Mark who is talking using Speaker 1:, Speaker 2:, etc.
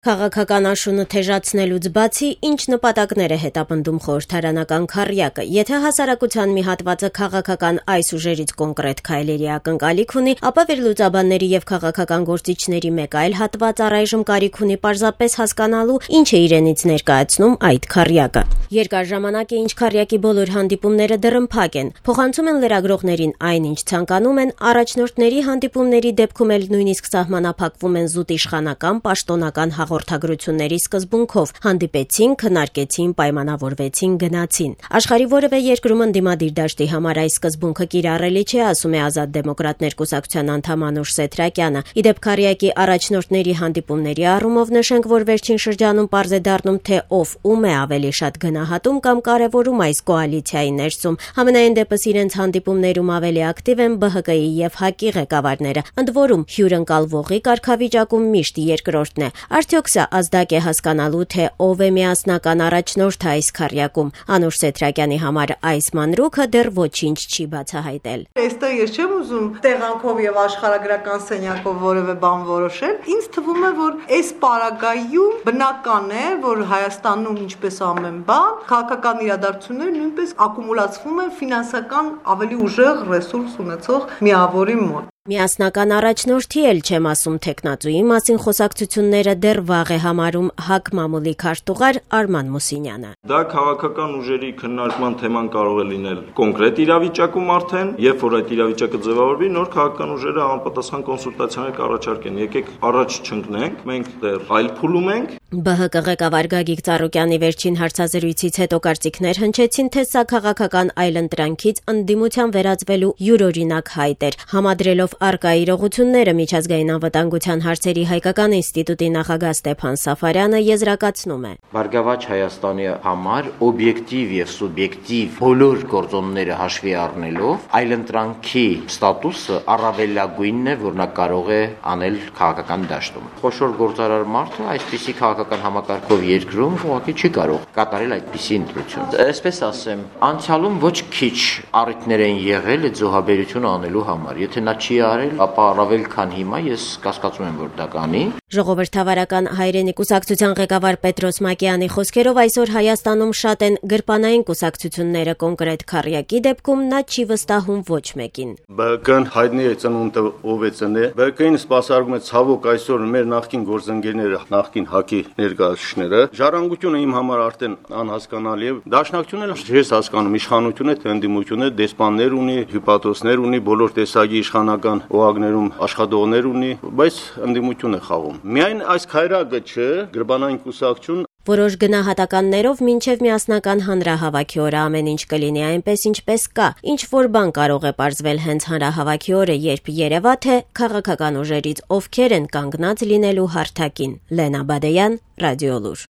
Speaker 1: Քաղաքական աշունը թեժացնելուց բացի, ինչ նպատակներ է հետապնդում խորհրդարանական քառյակը։ Եթե հասարակության մի հատվածը քաղաքական այս ուժերից կոնկրետ քայլերի ակնկալիք ունի, ապա վերլուծաբանների եւ քաղաքական գործիչների մեկ այլ հատված առայժմ կարիք ունի պարզապես հասկանալու, ինչ է իրենից ներկայացնում այդ քառյակը։ Երկար ժամանակ է, ինչ քառյակի բոլոր հանդիպումները դռնփակ են, փոխանցում են լրագրողներին այն, ինչ ցանկանում են, առաջնորդների հանդիպումների դեպքում էլ նույնիսկ սահմանափակվում են զուտ իշխանական, պաշտոնական հաղորդագրությունների սկզբունքով, հանդիպեցին, քննարկեցին, պայմանավորվեցին, գնացին։ Աշխարհի որևէ երկրում ընդդիմադիր դաշտի համար այս սկզբունքը կիրառելի չէ, ասում է Ազատ դեմոկրատներ կուսակցության անդամ Անուշ Սեթրակյանը։ Իդեպ քառյակի առաջնորդների հանդիպումների առումով նշենք, որ վերջին շրջանում պարզ է դառնում, թե ով ում է ավելի շատ գնահատում կամ կարևորում այս կոալիցիայի ներսում։ Համենայն դեպս իրենց հանդիպումներում ավելի ակտիվ են ԲՀԿ-ի եւ ՀԱԿ-ի ղեկավարները, ընդ որում հյուրընկալվողի կարգավիճակում միշտ երկրորդն է։ Արդյոք սա ազդակ է հասկանալու, թե ով է միասնական առաջնորդը այս քառյակում։ Անուշ Սեթրակյանի համար այս մանրուքը դեռ ոչինչ չի բացահայտել։
Speaker 2: Այստեղ ես չեմ ուզում տեղանքով եւ աշխարհագրական սենյակով որևէ բան որոշել։ Ինձ թվում է, որ այս պարագայում բնական է, որ Հայաստանում ինչպես ամեն բան, քաղաքական իրադարձությունները նույնպես ակումուլացվում են ֆինանսական ավելի ուժեղ ռեսուրս ունեցող միավորի մոտ։
Speaker 1: Միասնական առաջնորդի էլ չեմ ասում թեկնածուի մասին խոսակցությունները դեռ վաղ է համարում ՀԱԿ մամուլի քարտուղար Արման Մուսինյանը։
Speaker 3: Դա քաղաքական ուժերի քննարկման թեման կարող է լինել կոնկրետ իրավիճակում արդեն, երբ որ այդ իրավիճակը ձևավորվի, նոր քաղաքական ուժերը համապատասխան կոնսուլտացիաներ կառաջարկեն։ Եկեք առաջ չընկնենք, մենք դեռ այլ փուլում ենք։
Speaker 1: ԲՀԿ ղեկավար Գագիկ Ծառուկյանի վերջին հարցազրույցից հետո կարծիքներ հնչեցին, թե սա քաղաքական այլընտրանքից ընդդիմության վերածվելու յուրօրինակ հայտ էր, համադրելով առկա իրողությունները միջազգային անվտանգության հարցերի հայկական ինստիտուտի նախագահ Ստեփան Սաֆարյանը եզրակացնում է.
Speaker 4: Բարգավաճ Հայաստանի համար օբյեկտիվ եւ սուբյեկտիվ բոլոր գործոնները հաշվի առնելով այլընտրանքի ստատուսը առավելագույնն է, որ նա կարող է անել քաղաքական դաշտում։ Խոշոր գործարար մարդը այսպիսի քաղաքական համակարգով երկրում ուղղակի չի կարող կատարել այդպիսի ընտրություն։ Այսպես ասեմ, անցյալում ոչ քիչ առիթներ են եղել այդ զոհաբերությունը անելու համար։ Եթե նա չի արել, ապա առավել քան հիմա ես կասկածում եմ, որ դա կանի։
Speaker 1: Ժողովրդավարական հայրենի կուսակցության ղեկավար Պետրոս Մակեյանի խոսքերով այսօր Հայաստանում շատ են գրպանային կուսակցությունները, կոնկրետ քառյակի դեպքում նա չի վստահում ոչ մեկին։
Speaker 5: ԲՀԿ-ն հայտնի է ծնունդը ով է ծնել։ ԲՀԿ-ին սպասարկում է ցավոք այսօր մեր նախկին գործընկերները, նախկին ՀԱԿ-ի ներկայացուցիչները։ Ժառանգությունը իմ համար արդեն անհասկանալի է։ Դաշնակցությունը ես հասկանում, իշխանություն է, թե ընդդիմություն է, դեսպաններ ունի, հյուպատոսներ ունի, բոլոր տեսակի իշխանական օղակներում աշխատողներ ունի, բայց ընդդիմություն է խաղում։ Միայն այս քայրակը չէ, գրպանային կուսակցություն։
Speaker 1: Որոշ գնահատականներով մինչև միասնական հանրահավաքի օրը ամեն ինչ կլինի այնպես, ինչպես կա։ Ինչ որ բան կարող է պարզվել հենց հանրահավաքի օրը, երբ երևա, թե քաղաքական ուժերից ովքեր են կանգնած լինելու հարթակին։ Լենա Բադեյան, Ռադիոլուր։